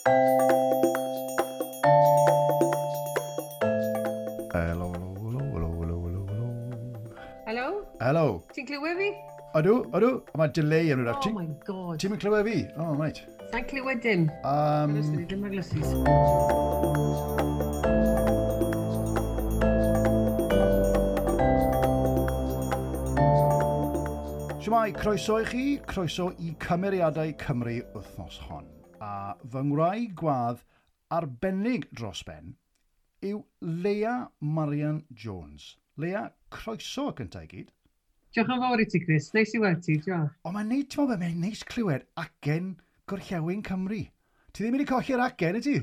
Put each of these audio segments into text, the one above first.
Helo, helo, helo, helo, helo, helo. Helo? Helo. Ti'n clywed fi? Ydw, ydw. Mae delay yn rhywbeth. Oh my God. Ti'n mynd clywed fi? Oh, right. Sa'n clywed dim. Ddim ar glysus. Shwmae, croeso i chi, croeso i Cymeriadau Cymru wythnos hon. A fy ngwraig gwadd arbennig dros ben yw Leia Marian Jones. Leia, croeso gyntaf i gyd. Diolch yn fawr i ti, Chris. Neis i weld ti, diolch. O, mae'n neis, ti'n meddwl, mae'n neis clywed acen Gorllewin Cymru. Ti ddim wedi colli'r acen, y ti?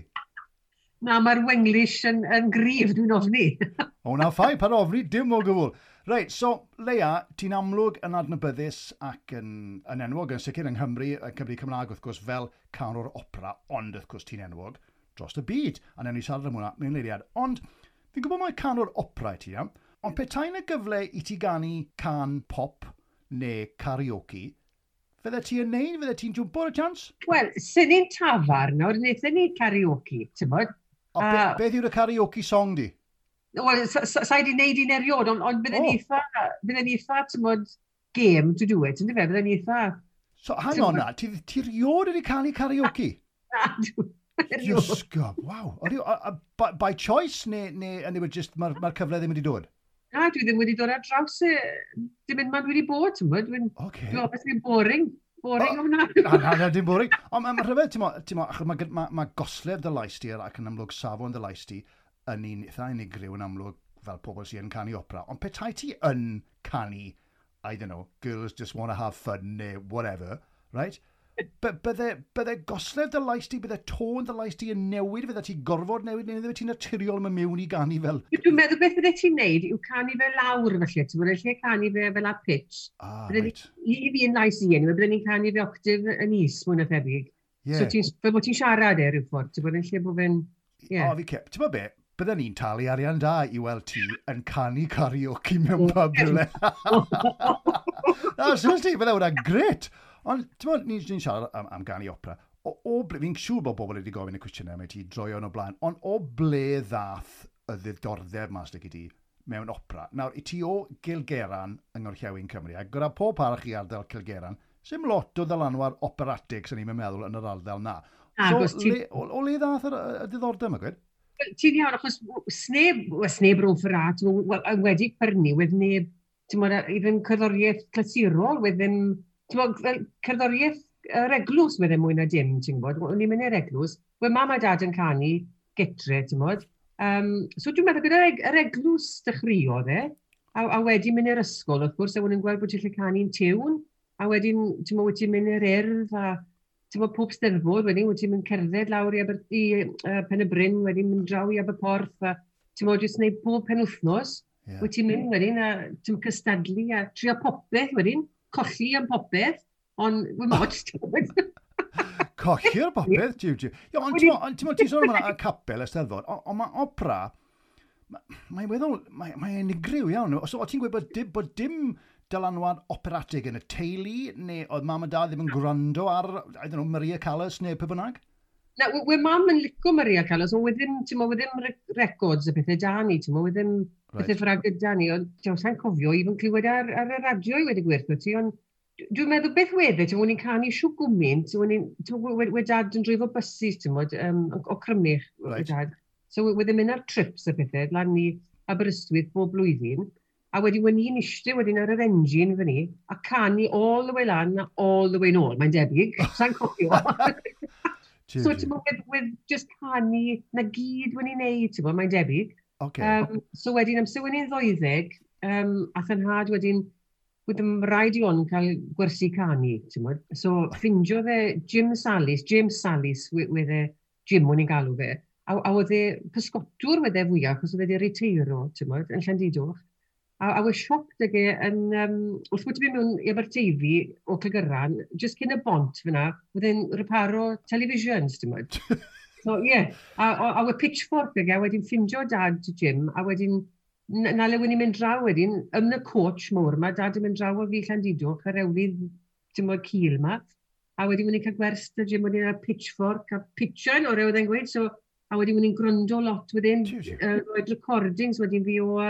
Na, mae'r Wenglish yn gryf, dwi'n ofni. O, na fine, paid ofni, dim o gwbl. Reit, so, Leia, ti'n amlwg yn adnabyddus ac yn enwog yn sicr yng Nghymru, yn Cymru Cymraeg, wrth gwrs, fel canwr opera, ond wrth gwrs ti'n enwog dros y byd, a newn ni siarad am hwnna mewn eiliad. Ond, fi'n gwybod mai canwr opera i ti, iawn, ond petai 'na gyfle i ti ganu cân pop neu karaoke, fydde ti yn neud, fydde ti'n jwmpo ar y chance? Wel, sy'n ni'n tafarn nawr, wnaethon ni karaoke, ti'n bod? O, beth yw'r karaoke song di? Wel, sa i wedi wneud un eriod, ond bydden ni eitha, ti'n bod, game to do it, ynddo fe? Bydden ni eitha. So, hang on na, ti riod wedi canu karaoke? Na, erioed. Iesgob, waw. By choice, neu just mae'r cyfle ddim wedi dod? Na, dwi ddim wedi dod ar draws e, dim un man wedi bod, ti'n bod? Dwi'n obviously boring. Boring o hwnna. Na, dim boring. Ond mae'n rhyfedd, ti'n mo, achos mae goslef dy lais di ac yn amlwg safon dy lais di yn un eitha unigryw yn amlwg fel pobl sy'n canu opera. Ond petai ti yn canu, I don't know, Girls Just Wanna Have Fun neu whatever, right? Bydde goslef dy lais di, bydde tôn dy lais di yn newid, fydde ti gorfod newid, neu fydde ti'n naturiol yn mynd mewn i ganu fel? Dwi'n meddwl beth fydde ti'n neud yw canu fe lawr felly, ti'n bod yn lle canu fe fel a pitch. Ah, right. I fi yn lais i, anyway, bydde ni'n canu fe octave yn is, mwy na thebyg. Yeah. So ti'n, fel bod ti'n siarad e rhyw ffordd, ti'n bod yn lle bod fe'n. Yeah. O, fi cep. Ti'n bod be? Bydden ni'n talu arian da i weld ti yn canu karaoke mewn pub rhywle. Na, seriously, bydde hwnna'n gret. Ond, ti'n bod, ni'n siarad am ganu opera. O ble, fi'n siŵr bod bobl wedi gofyn y cwestiynau mae ti droion o blaen, ond o ble ddath y ddiddordeb mas i ti mewn opera? Nawr, i ti o Gilgeran yng Ngorllewin Cymru, a gyda pob parch i ardal Cilgeran, sim lot o ddylanwad operatig sy'n ni'n meddwl yn yr ardal na. So, o le ddath y diddordeb yma, gwed? Ti'n iawn, achos sneb rhwng ffrat, wedi pyrnu, wedd neb, ti'n bod, even cerddoriaeth clasurol, wedd ddim, ti'n bod, fel cerddoriaeth yr eglwys wedd e mwy na dim, ti'n gwybod, o'n i'n mynd i'r eglwys, wedd mam a dad yn canu getre, ti'n bod. So dwi'n meddwl gyda'r yr eglwys dechreuodd e, a wedyn mynd i'r ysgol, wrth gwrs, a wedyn gweld bod ti'n lle canu'n tiwn, a wedyn, ti'n bod, wyt ti'n mynd i'r urdd, a ti'n bod, pob steddfod, wedyn, wyt ti'n mynd cerdded lawr i Pen y Bryn, wedyn mynd draw i Aberporth, a ti'n bod, jyst gwneud pob penwythnos, wyt ti'n mynd wedyn, a ti'n cystadlu, a trio popeth wedyn, colli am popeth, ond wy'n modd, ti'n bod. Colli'r popeth, jiw, jiw. Ie, ond ti'n bod, ti'n sôn am y capel, y steddfod, ond mae opera, mae'n weddol, mae'n unigryw iawn. So, o ti'n gweud bod dim dylanwad operatig yn y teulu, neu oedd mam a dad ddim yn gwrando ar, I don't know, Maria Callas neu pwy bynnag? Na, we mam yn licio Maria Callas, ond ddim, ti'n mo, ddim records a pethau da ni, ti'n mo, ddim pethau ffrag gyda ni, ond ti'n sa'n cofio, even clywed ar y radio i wedi gwerthu ti, ond dwi'n meddwl beth wedde, ti'n mo, ni'n canu siw gwmynt, ti'n mo, we dad yn dreifo buses, ti'n mo, o Crymych, we dad. So we ddim mynd ar trips a pethau, lan i Aberystwyth bob blwyddyn, a wedi wen i'n eistedd wedyn ar yr engine fyny, a canu all the way lan a all the way nôl, mae'n debyg, sa'n cofio. So ti'n bod, with just canu, na gyd wen i'n neud, ti'n bod, mae'n debyg. Okay. So wedyn, amser wen i'n 12, ath yn nhad wedyn, wedyn rhaid i on cael gwersi canu, ti'n bod. So ffindio fe Jim Sallis, James Sallis, wedd e, Jim o'n i'n galw fe, a oedd e pysgotwr wedd e fwyaf, achos oedd e wedi riteiro, ti'n bod, yn Llandidoch. A we siop ag e yn, wrth bod ti'n mynd mewn i Aberteifi o Clegyran, jyst cyn y bont fyna, oedd e'n reparo televisions, ti'n bod. So, ie. Yeah. A we pitchfork ag e, wedyn ffindio dad Jim, a wedyn, na le wyn i'n mynd draw wedyn, yn y coach mowr ma, dad yn mynd draw o fi Llandidoch, ar ewlydd, ti'n bod, cul ma. A wedyn wyn i'n cael gwers 'da Jim wedyn ar pitchfork a pitchen o'r oedd e'n gweud, so a wedyn wyn i'n gwrando lot wedyn, roed recordings wedyn fi o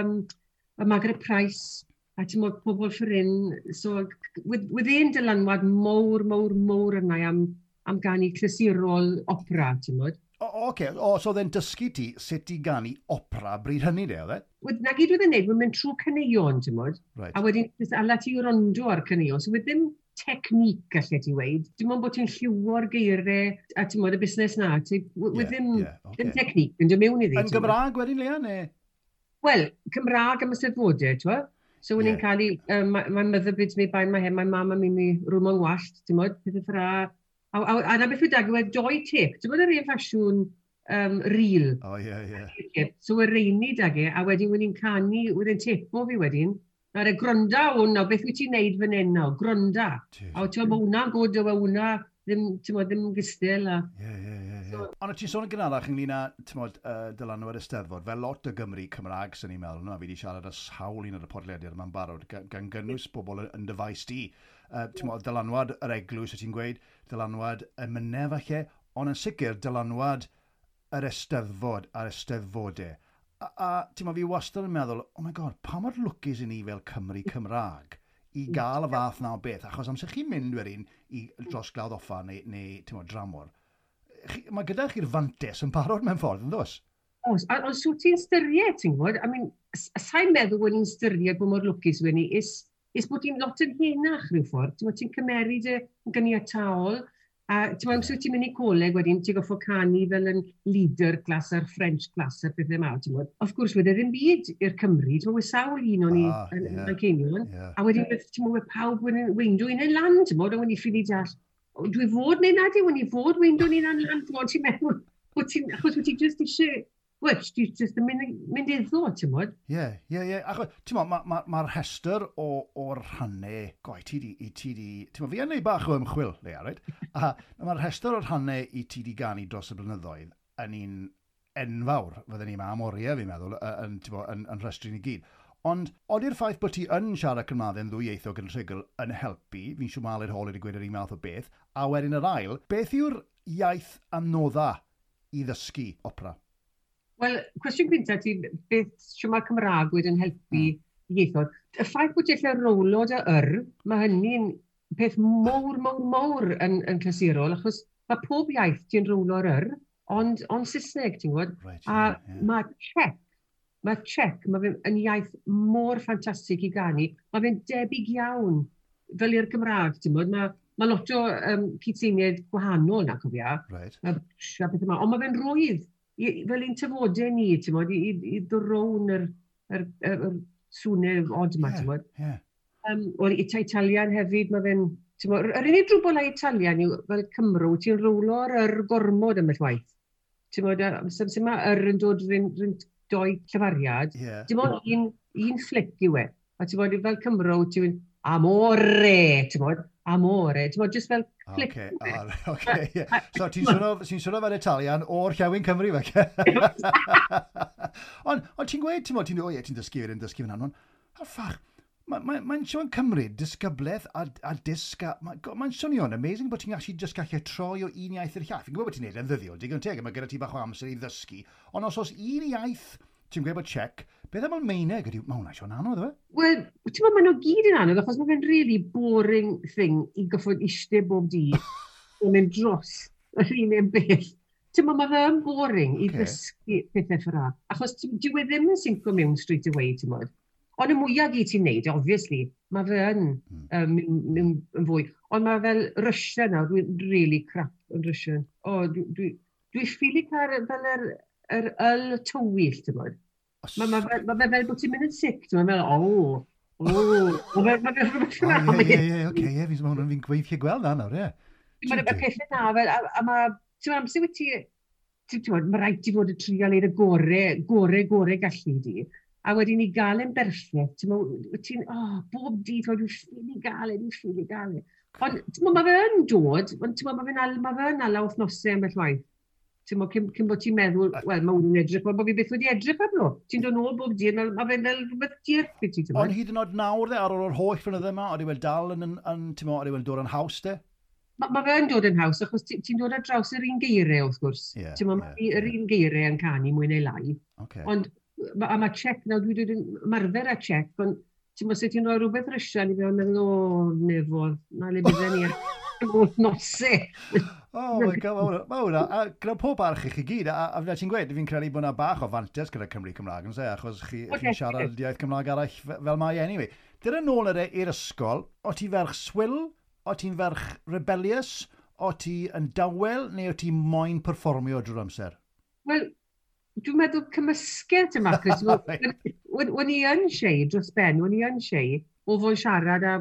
Margaret Price, a ti'n modd pobl ffrin, so wedd e'n dylanwad mowr, mowr, mowr yna am ganu clasurol opera, ti'n modd. O, oce. Okay. O, so oedd e'n dysgu ti sut i ganu opera bryd hynny, de, oedd e? Na gyd oedd e'n neud, wedd mynd trwy caneuon, ti'n modd. Right. A wedyn, jyst ala ti wrando ar caneuon. So wedd ddim technique, gallu ti weud. Dim ond bod ti'n lliwo'r geiriau, a ti'n modd y busnes na. Ti, wedd ddim, ddim technique yn dod mewn iddi. Yn Gymraeg wedyn, Lea, neu? Wel, Cymraeg am y Steddfodau, ti'n modd? So, yeah. Ni'n cael ei, my mother bids me bind my hair, my mama made me rhwym o'n wallt, ti'n modd, pethau ffra. A na beth yw dag yw e doi tip. Ti'n bod yr un ffasiwn reel? O, ie, ie. Tip. So, y reini dag e, a wedyn wedi'n canu, wedyn tepo fi wedyn. Nawr e, gronda hwn, nawr, beth wyt ti'n neud fan hyn nawr? Gronda. A ti'n meddwl, hwnna'n gwd, yw e hwnna, ddim, ti'n meddwl, ddim gystal. A... Ie. Ond ti'n sôn yn gynharach ynglyn â, ti'n modd, dylanwad y Steddfod, fel lot o Gymru Cymraeg sy'n ni'n meddwl, no, fi wedi siarad â sawl un ar y podlediad yma'n barod, gan gynnwys bobl yn dy faes di. Ti'n modd, dylanwad yr eglwys, ti'n gweud, dylanwad y mynef falle, ond yn sicr dylanwad yr Eisteddfod a'r Eisteddfodau. A ti'n modd, fi wastad yn meddwl, oh my God, pa mor lwcus i ni fel Cymru Cymraeg i gael y fath na o beth, achos amser chi'n mynd wedyn i dros Glawdd Offa neu ti'n modd, dramor, mae gyda chi'r fantes yn barod mewn ffordd, yn does? Oes, ond so ti'n styried, ti'n gwybod? I mean, sa'n meddwl bod ni'n styried bod mor lwcus wedi ni, is bod ti'n lot yn henach rhyw ffordd. Ti'n ti'n cymeryd y gyniataol, a ti'n meddwl, amser ti'n mynd i coleg wedyn, ti'n goffo canu fel yn leader class a'r French class a'r pethau yma, ti'n meddwl. Of course, wedi ddim byd i'r Cymru, ti'n meddwl, sawl un o'n i yn Manceinion, a wedyn, ti'n meddwl, pawb wedi weindo un yn lan, ti'n meddwl, a wedyn i ffili deall, dwi fod neu nad yw, wedi fod weindo un yn lan, ti'n meddwl, ti'n meddwl, achos wyt ti just eisiau, wel, ti just yn mynd iddo, ti'n modd? Ie. Achos, ti'n modd, ma rhestr o'r rhannau, goi, ti di, ti'n modd, fi yn neud bach o ymchwil, Lea, right? A mae'r rhestr o'r rhannau i ti di ganu dros y blynyddoedd yn un enfawr, fydden ni yma am oriau, fi'n meddwl, yn rhestru ni gyd. Ond, oedi'r ffaith bod ti yn siarad Cymraeg yn ddwyieithog yn rhugl yn helpu, fi'n siŵr Aled Hall wedi gweud yr un math o beth, a wedyn yr ail, beth yw'r iaith anodda i ddysgu opera? Wel, cwestiwn gyntaf ti, beth siw mae'r Cymraeg wedi yn helpu ieithoedd. Y ffaith bod ti'n gallu rowlo dy yr, mae hynny'n peth mowr, mowr, mowr yn clasurol, achos mae pob iaith ti'n rowlo'r yr, ond Saesneg, ti'n gwybod? Right, a mae Czech, mae fe'n yn iaith mor ffantastig i ganu, mae fe'n debyg iawn fel i'r Gymraeg, ti'n gwybod? Mae lot o cytseiniaid gwahanol na, cofia. Right. A pethau yma, ond mae fe'n rwydd. Fel un tafodau ni, ti'n modd, i ddrown yr swnau od yma, ti'n modd. Yeah. Wel, Italian hefyd, mae fe'n, ti'n modd, yr unig drwbl â Italian yw, fel Cymru, ti'n rowlo'r yr gormod ym waith. Ti'n modd, sy'n mae yr yn dod rhwng doi llefariad, dim ond un flic yw e. A ti'n modd, fel Cymru, ti'n mynd, amore, ti'n modd, amore, ti'n modd, just fel flic. Oce, ie. So, ti'n swnio fel Italian o'r Llewyn Cymru, fe? Ond ti'n gweud, ti'n modd, ti'n dysgu fy'n dysgu fy'n anwn, a ffach, mae'n sôn cymryd disgyblaeth a disg, mae'n swnio'n amazing bod ti'n gallu just gallu troi o un iaith i'r llall. Fi'n gwybod bod ti'n neud e'n ddyddiol, digon teg, mae gyda ti bach o amser i ddysgu, ond os oes un iaith, ti'n gweud bod Czech, beth am Almaeneg ydy, mae hwnna'n sôn anodd, yw e? Wel, ti'n meddwl, maen nhw gyd yn anodd, achos mae fe'n really boring thing i goffod eistedd bob dydd yn mynd dros yr un beth. Ti'n meddwl, mae fe'n boring i ddysgu pethau ffra. Achos dyw e ddim yn sinco mewn straight away, ti'n meddwl. Ond y mwyaf gyd ti'n neud, obviously, mae fe yn yn fwy. Ond mae fel Russian nawr, dwi'n really crap yn Russian. O, dwi ffili cael fel yr yl tywyll, ti'n meddwl. Mae fe fel bod ti'n mynd yn sick, ti'n meddwl, o, mae fe rhywbeth fel. Ie, oce, ie, fi'n gweithio gweld na nawr, ie. Mae'n y pethau na, fel, a mae, ti'n meddwl, amser wyt ti, ti'n meddwl, mae rhaid ti fod y trial i'r gore, gore gallu di. A wedyn i gael e'n berffaith, ti'n meddwl, ti'n, bob dydd, dwi'n ffili gael e, dwi'n ffili gael e. Ond, ti'n meddwl, mae fe yn dod, ond ti'n meddwl, mae fe yn ala wythnosau ambell waith. Ti'n meddwl, cyn bod ti'n meddwl, wel, mae hwn yn edrych, mae bod fi byth wedi edrych arno. Ti'n dod nôl bob dydd, mae fe'n fel rhywbeth dierth i ti, ti'n meddwl. Ond hyd yn oed nawr, de, ar ôl yr holl flynydde yma, oeddi wel dal yn, ti'n meddwl, oeddi wel dod yn haws, de? Ma fe'n dod yn haws, achos ti'n ti dod ar draws yr un geiriau, wrth gwrs. Ti'n ma yr un geiriau yn canu mwy neu lai. Ond, a mae Czech, nawr dwi wedi ymarfer â Czech, ond ti'n mo, sut ti'n rhoi rhywbeth Russian i fi, o'n meddwl, "O, nefodd, na le bydden ni ar nosau." Oh my God, mae hwnna, a gyda pob barch i chi gyd, a fel ti'n gweud, fi'n credu bod yna bach o fantes gyda Cymru Cymraeg, yn se, achos chi'n siarad iaith Cymraeg arall fel mae anyway. Dyna nôl i'r ysgol, o ti ferch swil, o ti'n ferch rebellious, o ti yn dawel, neu o ti moyn perfformio drwy'r amser? Wel, dwi'n meddwl cymysgedd ti'n Marcus. O'n i yn shy dros ben, o'n i yn shy o fod siarad a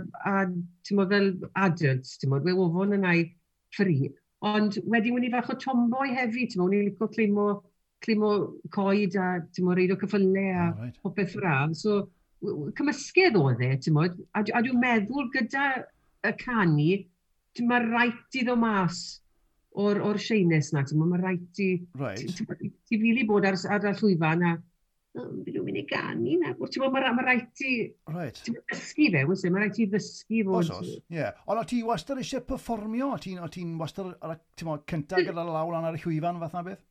ti'n mo, fel adults, ti'n mo, o fod yn ei free. Ond wedyn o'n i fach o tomboy hefyd, ti'n mo, o'n i'n licio climo coed a, ti'n mo, reido ceffylau a popeth fel. So, cymysgedd oedd e, ti'n mo, a dwi'n meddwl gyda y canu, ti'n mae rhaid i ddod mas o'r shyness na, ti'n mo, mae rhaid i ti fili bod ar y llwyfan a "O, fi dwi'n mynd i ganu na." Ti'n mo, mae rhaid i ti'n dysgu fe, wyt ti? Mae rhaid i ddysgu fod. Oes, ie. Yeah. Ond o ti wastad eisiau perfformio? O ti'n wastad ar y, ti'n mo, cyntaf gyda law lan ar y llwyfan fath na beth?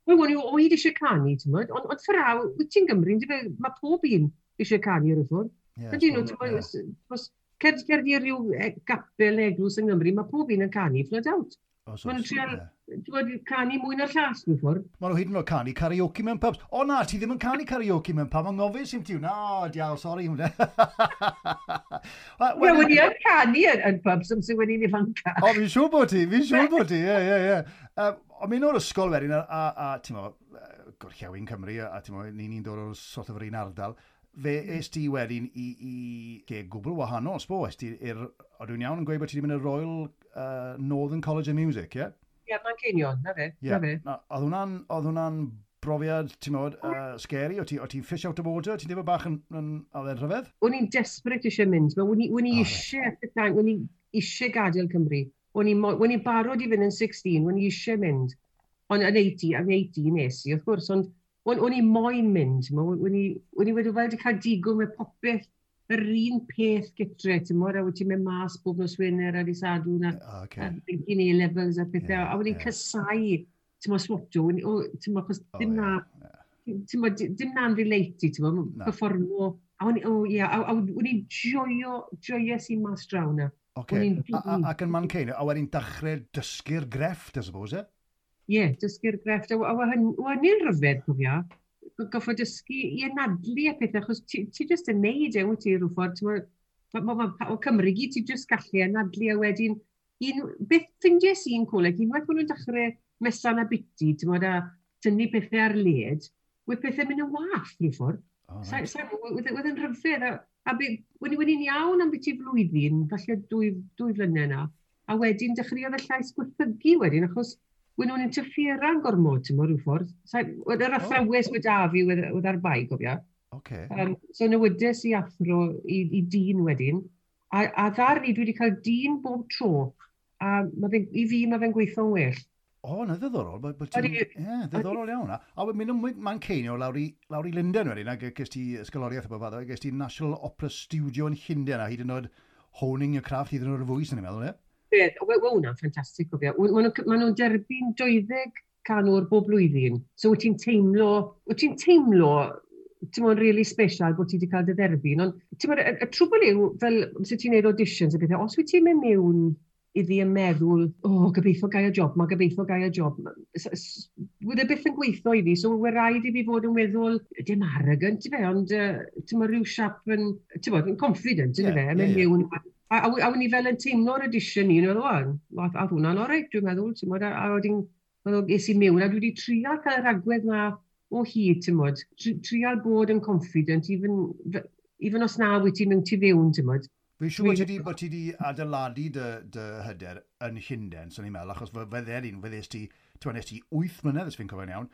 Wel, o'n i o hyd eisiau canu, ti'n mo, ond ffraw, wyt ti'n Gymru, yndyfe, mae pob un eisiau canu ar y ffordd. Ie, Ydyn nhw, suppose, ti'n mo, os cer di ryw gapel neu eglwys yng Nghymru, mae pob un yn canu, flat out. Oes, Maen nhw'n oes, trial, ie. ti'n gwbod, canu mwy na'r llall, mewn ffordd. Maen nhw hyd yn oed canu karaoke mewn pubs. O na, ti ddim yn canu karaoke mewn pub, anghofus i'm ti. Na, diawl, sori. Hwnna. Ie, wedi yn canu yn pubs amser wedi i'n ifanca. O, fi'n siŵr bod ti, fi'n siŵr bod ti, ie. Ond mynd o'r ysgol wedyn, a ti'n mo, Gorllewin Cymru, a ti'n mo, ni'n dod o'r sort of yr un ardal, fe es ti wedyn i lle gwbl wahanol, sbo, es ti i'r, o dwi'n iawn yn gweud bod ti wedi mynd i'r Royal Northern College of Music, ie? Yeah? Ie, Manceinion, na fe, Ie. na fe. Na, oedd hwnna'n brofiad, ti'n modd, scary? O ti fish out of water? Ti'n dweud bach yn oedd e'n rhyfedd? O'n i'n desperate eisiau mynd, o'n i O, reit. eisiau, at the time, o'n i eisiau gadael Cymru. O'n i'n barod i fynd yn 16, o'n i eisiau mynd. Ond yn 18, yn 18 nes i, wrth gwrs, ond o'n i moyn mynd, o'n i wedi fel wedi cael digon με popeth, yr un peth gytre, ti'n mo, a wyt ti'n mynd mas bob nos Wener a di Sadwrn a, Okay. a thinking A-levels a pethau, a o'n i'n casau, ti'n mo, swato, ti'n mo, achos dim na, ti'n mo, dim na'n relate i, ti'n mo, Na. performo, a o'n i, o ie, a o'n i'n joio, joies i mas draw na. Okay. O'n i'n Ac yn Manceinion, a wedyn dechrau dysgu'r grefft, I suppose, e? Ie, dysgu'r grefft, a hynny'n rhyfedd, cofio, goffo dysgu i anadlu a pethau, achos ti just yn neud e, wyt ti, rhyw ffordd, ti'n mo, o Cymru gyd, ti just gallu anadlu a wedyn, un, beth ffindies i'n coleg, unwaith maen nhw'n dechrau mesan a biti, ti'n mo, a tynnu pethau ar led, wedd pethau mynd yn wath, rhyw ffordd. Oh, right. Wedd yn rhyfedd, a o'n i'n iawn am biti flwyddyn, falle 2 flynedd na, a wedyn dechreuodd y llais gwaethygu wedyn, achos wedd nhw'n interferan gormod, ti'n mo, rhyw ffordd. Wedd yr athrawes wedi a fi wedd ar bai, gofio. So newides i athro i dyn wedyn, a ddar ni, dwi wedi cael dyn bob tro, a ma fe'n, i fi mae fe'n gweithio'n well. O, na ddiddorol. Bod ti'n. Ie, ddiddorol iawn. A wedyn mynd o'n Manceinion lawr i Lundain wedyn, a ges ti ysgoloriaeth o bob fath, ges ti National Opera Studio yn Llundain, a hyd yn oed honing your craft hyd yn oed y fwy, sy'n ni'n meddwl, ie? Beth, wel, hwnna'n ffantastig, cofio. Ma nhw'n derbyn 20 canwr bob blwyddyn. So wyt ti'n teimlo, ti'n mo'n really special bod ti wedi cael dy dderbyn. Ond, ti'n mo'n, y trwbl yw, fel, sut ti'n neud auditions a pethau, os wyt ti'n mynd mewn iddi yn meddwl, "O, oh, gobeithio gai y job ma, gobeithio gai y job." Wedd e byth yn gweithio i fi, so we rhaid i fi fod yn weddol, dim arrogant, ti fe, ond ti'n mo, rhyw siap yn, ti'n bod, yn confident, yn fe, mynd mewn. A o'n i fel yn teimlo'r audition ni, yn meddwl, "O, a hwnna'n oreit, dwi'n meddwl," ti'n modd, a wedyn, meddwl, es i mewn, a dwi wedi trial cael yr agwedd na o hyd, ti'n modd, trial bod yn confident, even os na wyt ti'n mynd tu fewn, ti'n modd. Fi'n siŵr bod ti di adeiladu dy hyder yn Llundain, swn i'n meddwl, achos fydde un, fyddes ti, ti'n nes ti 8 mlynedd, os fi'n cofio'n iawn,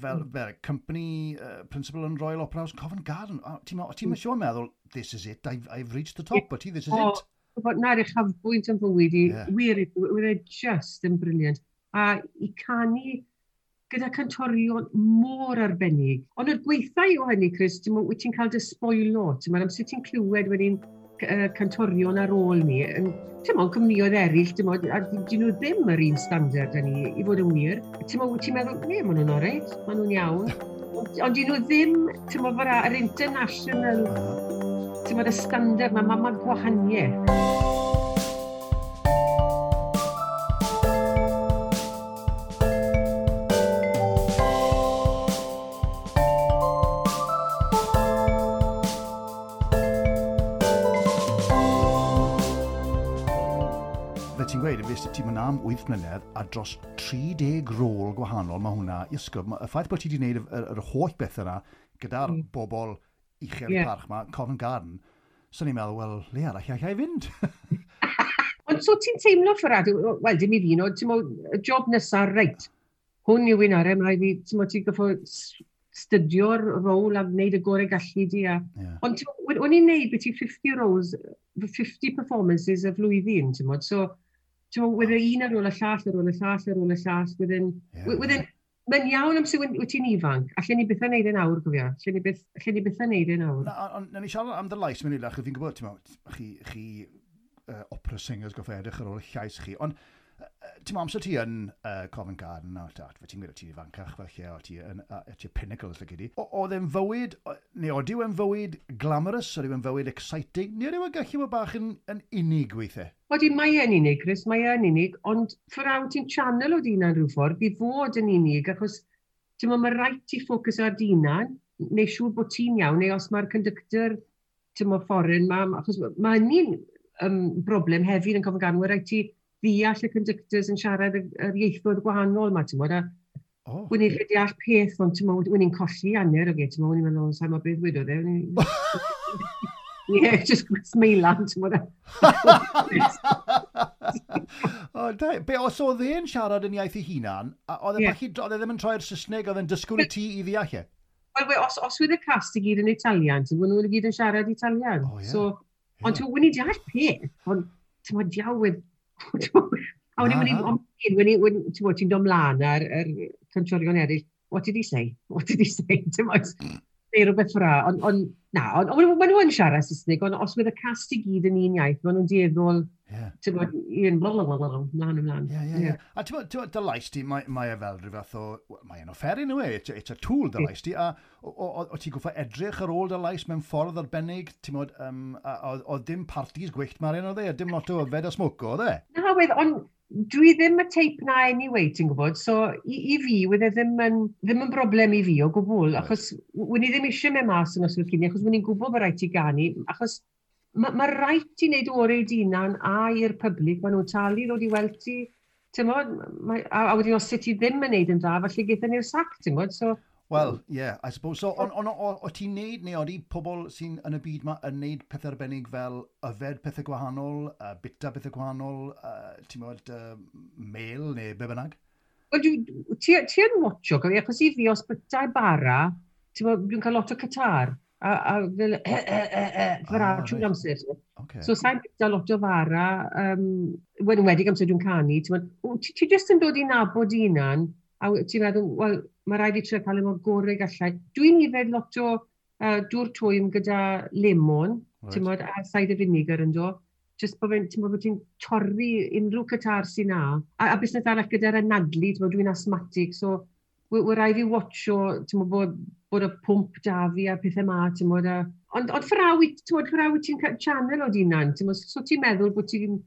fel company principal yn Royal Opera House Covent Garden. A ti'n ti siŵr meddwl, "This is it, I've reached the top," but ti, "This is it." Bod na'r uchafbwynt yn fywyd i, wir, wir e just yn brilliant. A i canu gyda cantorion mor arbennig. Ond yr gweithau o hynny, Chris, ti'n wyt ti'n cael dy sboilo, ti'n meddwl, amser ti'n clywed wedyn cantorion ar ôl ni, yn, ti'n mo, cwmnïoedd eraill, ti'n mo, a dyn nhw ddim yr un standard â ni, i fod yn wir. Ti'n mo, ti'n meddwl, ne, maen nhw'n oreit, maen nhw'n iawn. Ond dyn nhw ddim, ti'n mo, fel yr international, ti'n mo, y standard, mae ma gwahaniaeth. Ti'n gweud, fues ti'n mynd am 8 mlynedd a dros 30 rôl gwahanol, mae hwnna, Iesgob, y ffaith bod ti wedi gwneud yr holl beth yna gyda'r bobl uchel parch yma, Covent Garden, so ni'n meddwl, wel, le arall allai fynd? Ond so ti'n teimlo, Fferad, wel, dim i fi, no, ti'n meddwl, y job nesaf, reit, hwn yw un arall, mae rhaid fi, ti'n meddwl, ti'n goffo stydio'r rôl a wneud y gorau gallu di. A... Yeah. Ond o'n i'n neud beth i 50 roles, 50 performances y flwyddyn, ti'n meddwl, so ti'n meddwl, wedd un ar ôl y llall, ar ôl y llall, ar ôl y llall, wedyn, wedyn, mae'n iawn amser wyt ti'n ifanc, allan ni byth yn neud yn awr, gofio, allan ni byth yn neud yn awr. Na, ond na ni siarad am dy lais mewn eilach, fi'n gwybod, ti'n meddwl, chi opera singers goffa edrych ar ôl y llais chi, ond ti'n meddwl, amser ti yn Covent Garden, a fe ti'n gwybod, ti'n ifancach felly, o ti yn ti pinnacle, lle gyd i. Oedd e'n fywyd, neu oedd e'n fywyd glamorous, oedd e'n fywyd exciting, neu oedd e'n gallu bod bach yn unig weithiau? Odi, mae e'n unig, Chris, mae e'n unig, ond ffordd ti'n channel o d'hunan rhyw ffordd, i fod yn unig, achos ti'n meddwl, mae rhaid ti ffocws ar d'hunan, neu siŵr bod ti'n iawn, neu os mae'r conductor, ti'n meddwl, foreign, ma, achos mae hynny'n broblem hefyd yn Covent Garden, mae rhaid ti ddeall y conductors yn siarad yr ieithoedd gwahanol ma, ti'n meddwl, a wyn i'n deall peth, ond ti'n meddwl, wyn i'n colli hanner o ge, ti'n meddwl, wyn i'n meddwl, sa'n meddwl beth wedodd e, Ie, just smeilan, ti'n meddwl. O, da, be, os oedd e'n siarad yn iaith ei hunan, oedd e oedd e ddim yn troi'r Saesneg, oedd e'n dysgwyl i ti i ddeall e? Wel, os oedd y cast i gyd yn Italian, ti'n meddwl, nhw'n i gyd yn siarad Italian. Oh, yeah. So, ond ti'n meddwl, wyn i'n deall peth, ond ti'n meddwl, diaw, a o'n i'n ti'n dod mlaen ar yr cantorion eraill, what did he say? What did he say? Ti'n meddwl, neu rhywbeth ffra, ond na, ond maen nhw yn siarad Saesneg, ond os wedd y cast i gyd yn un iaith, maen nhw'n dueddol, ti'n bod, un blablabla, mlaen ymlaen. Ie, ie, ie. A ti'n bod, dy lais ti, mae e fel rhyw fath o, mae e'n offeryn yw e, it's a tool dy lais ti, a o ti'n gwffa edrych ar ôl dy lais mewn ffordd arbennig, ti'n bod, oedd dim parties gwyllt Marian oedd e, a dim lot o yfed a smoco, oedd e? Na, wedd, ond dwi ddim y teip na anyway, ti'n gwybod, so i fi, wedd e ddim yn broblem i fi o gwbl, achos wyn i ddim eisiau mynd mas yn noswaith cyn, achos wyn i'n gwybod bod rhaid ti ganu, achos mae rhaid ti wneud orau i d'hunan a i'r public, maen nhw'n talu ddod i weld ti, ti'n bod, a wedyn os ti ddim yn wneud yn dda, falle gaethon ni'r sac, ti'n bod, so... Well, yeah, I suppose so. Ond o ti'n neud, neu oeddi pobl sy'n yn y byd ma yn neud pethau arbennig fel yfed pethau gwahanol, bita pethau gwahanol, ti'n bod, mel neu be bynnag? Wel, ti yn watcho, achos i fi os bita bara, ti'n bod, dwi'n cael lot o catar, a fel fara trwy'r amser. Okay. So sa'n bita lot o fara, enwedig amser dwi'n canu, ti'n bod, ti jyst yn dod i nabod hunan, a ti'n meddwl, wel, mae rhaid i trio cael ei mor gorau gallai. Dwi'n yfed lot o dŵr twym gyda lemon, right. Ti'n bod, a cider vinegar yn do. Just bod ti'n bod ti'n torri unrhyw catar sy'n na. A busnes arall gyda'r anadlu, ti'n bod, dwi'n asthmatic, so we rhaid fi watcho, ti'n bod, bod y pwmp da fi a pethau ma, ti'n bod, ond ffraw ti'n ti'n channel o d'hunan, ti'n bod, so ti'n meddwl bod ti'n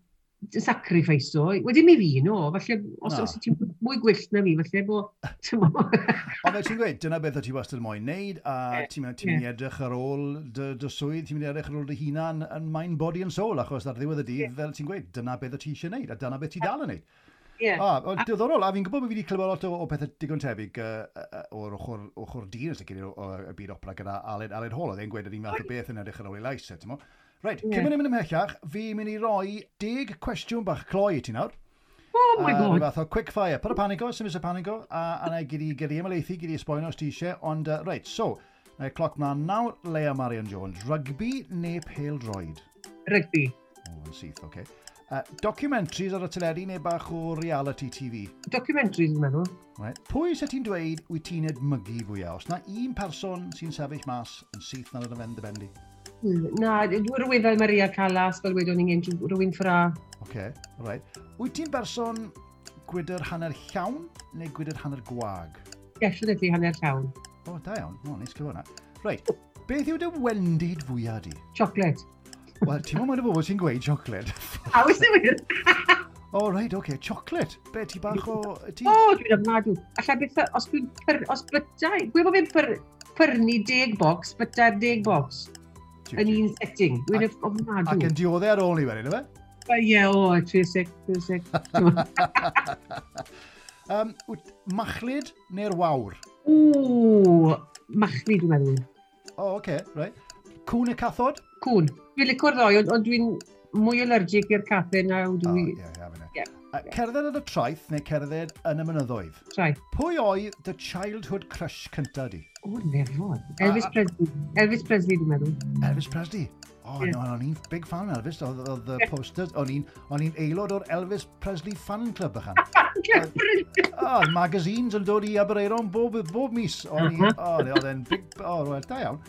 sacrifice o, wedyn mi fi, no, falle, os ti'n mwy gwyllt na fi, falle bo, ti'n mo. Ond fel ti'n gweud, dyna beth o ti wastad yn moyn neud, a ti'n mynd i edrych ar ôl dy swydd, ti'n mynd i edrych ar ôl dy hunan yn mind, body and soul, achos ar ddiwedd y dydd, fel ti'n gweud, dyna beth o ti eisiau neud, a dyna beth ti dal yn neud. Yeah. Diddorol, a fi'n gwybod bod fi wedi clywed lot o pethau digon tebyg o'r ochr dyn, os ydych o'r byd opera gyda Aled Hall, oedd e'n gweud yr un fath o beth yn edrych ar ôl ei lais, ti'n mo? Reit, cyn mynd ymhellach, fi'n mynd i roi 10 cwestiwn bach cloi i ti nawr. Oh my God. Rhyw fath o quick fire. Paid â panico, sy'n mysio panico, a na i gyd i ymhelaethu, gyd i esbonio os ti eisiau, ond reit, so, na i cloc mlaen nawr, Leia Marian Jones, rygbi neu pêl-droed? Rygbi. O, yn syth, oce. Documentaries ar y teledu neu bach o reality TV? Documentaries, dwi'n meddwl. Right. Pwy sy'n ti'n dweud wyt ti'n edmygu fwyaf? Os na un person sy'n sefyll mas yn syth na'r yn y dy ben di? Na, rhywun fel Maria Callas, fel wedon ni'n gynt, rhywun ffra. Oce, okay, right. Wyt ti'n berson gwydr hanner llawn neu gwydr hanner gwag? Definitely hanner llawn. O, da iawn. O, neis clywed hwnna. Reit, beth yw dy wendid fwyaf di? Chocolate. Wel, ti'n meddwl y bobl sy'n gweud chocolate? A, oes e wir? O, reit, oce, okay. Chocolate. Be, ti bach o... Ti... O, dwi'n ofnadw. Alla beth, os dwi'n... Os bytai... Gwe bod fi'n pyrnu 10 box, byta'r 10 box. Yn un setting. Dwi'n ofnadw. Ac yn dioddau ar ôl ni wedyn, yfe? Ie, o, 36, 36. Machlud neu'r wawr? O, machlud dwi'n meddwl. O, oce, okay, right. Cwn neu cathod? Cwn. Dwi'n licio'r ddoi, ond dwi'n mwy allergic i'r cathau na dwi... O, ie, ie, ie. Cerdded ar y traeth neu cerdded yn y mynyddoedd? Traeth. Pwy oedd dy childhood crush cynta di? O, nefod. Elvis Presley. Elvis Presley, dwi'n meddwl. Elvis Presley? O, oh, yeah. No, o'n i'n big fan Elvis. Oedd y posters, o'n i'n aelod o'r Elvis Presley fan club bychan. Oh, magazines yn dod i Aberaeron bob mis. O'n i'n, oedd e'n big, o, well, da iawn.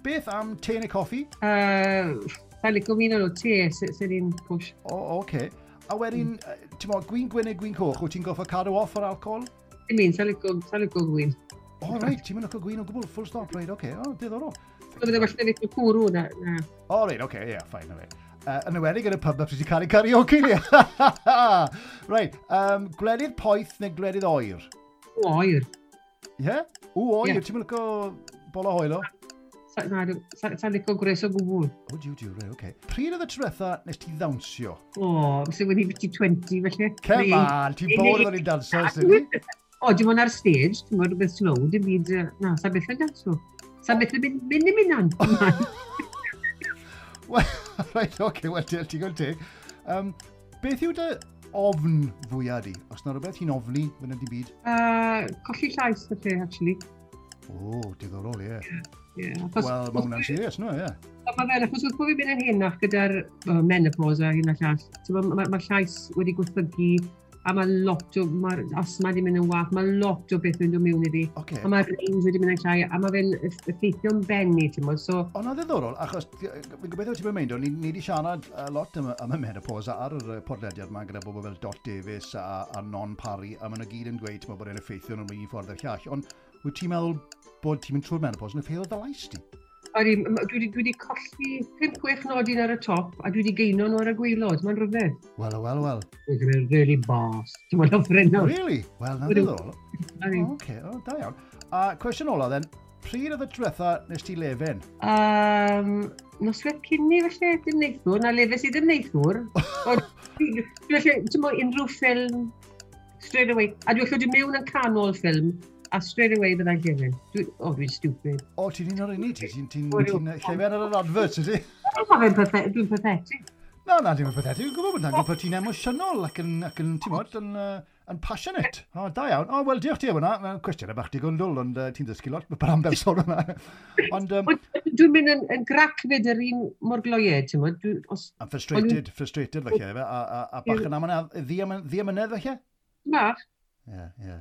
Beth am te neu coffi? Sa'n licio mi nhw, te, sy'n un push. O, oce. A wedyn, ti'n mo, gwin gwyn neu gwin coch, wyt ti'n goffa cadw off o'r alcohol? Dim un, sa'n licio gwin. O, reit, ti'n mynd licio gwin o gwbl, full stop, reit, oce, o, diddorol. Bydde well na licio cwrw, na. O, reit, oce, ie, fine, reit. Yn enwedig yn y pub, pryd ti'n cael ei karaoke ni. Reit, gwledydd poeth neu gwledydd oer? O, oer. Ie? O, oer, ti'n mynd licio bol o hoelo? Na, sa'n licio gwres o gwbl. O, diw, diw, reit, oce. Pryd oedd y tro nes ti ddawnsio? O, sy'n wedi biti 20, felly. Come on, ti'n bod oedd i'n danso, sy'n ni? O, dim ond ar stage, ti'n bod rhywbeth slow, dim byd, na, sa'n beth yn danso. Sa'n beth yn mynd i mynd an. Reit, oce, wel, ti'n gweld teg. Beth yw dy ofn fwyaf di? Os na rhywbeth ti'n ofni fan ydy byd? Colli llais, felly, actually. O, diddorol, ie. Yeah, wel, mae hwnna'n serious, no, ie. Mae fel, achos wrth bod fi'n mynd yn henach gyda'r menopause a hyn a llall, mae llais wedi gwaethygu, a mae lot o, mae'r asthma wedi mynd yn wath, mae lot o beth yn dod mewn iddi. Okay. A mae'r range wedi mynd yn llai, a mae fe'n effeithio'n benni, ti'n modd, so... Ond na ddiddorol, achos fi'n gobeithio ti'n mynd, ni wedi siarad lot am y menopause ar yr podlediad yma gyda bobl fel Dot Davies a Non Parry, a maen nhw gyd yn dweud bod e'n effeithio nhw'n un ffordd i'r llall. Ond wyt ti'n meddwl bod ti'n mynd trwy'r menopause yn effeithio dy lais di? Odi, dwi wedi colli 5-6 nodyn ar y top a dwi wedi geino nhw ar y gwaelod. Mae'n rhyfedd. Wel, wel, wel. Dwi'n really bas. Ti'n meddwl ffrind nawr. Really? Wel, na ddiddorol. Oce, da iawn. A cwestiwn ola, then, pryd oedd y diwetha nes ti lefen? Noswaith cyn ni, felly, dim neithwr. Na lefes i ddim neithwr. Felly, ti'n meddwl, unrhyw ffilm, straight away. A dwi'n lle mewn yn canol ffilm, a straight away byddai'n llefen. Dwi'n stupid. O, ti'n un o'r unig, ti'n llefen ar yr advert, ydy? Mae fe'n dwi'n pathetic. Na, na, dim yn pathetic. Dwi'n gwybod bod na'n gwybod ti'n emosiynol ac yn, ti'n modd, yn passionate. O, da iawn. O, wel, diolch ti am hwnna. Mae'n cwestiwn bach digon dwl, ond ti'n dysgu lot am berson hwnna. Ond... Dwi'n mynd yn grac fyd yr un mor gloied, ti'n modd. Yn frustrated, frustrated, felly, a bach yn amynedd, ddiamynedd, felly? Bach. Ie, ie.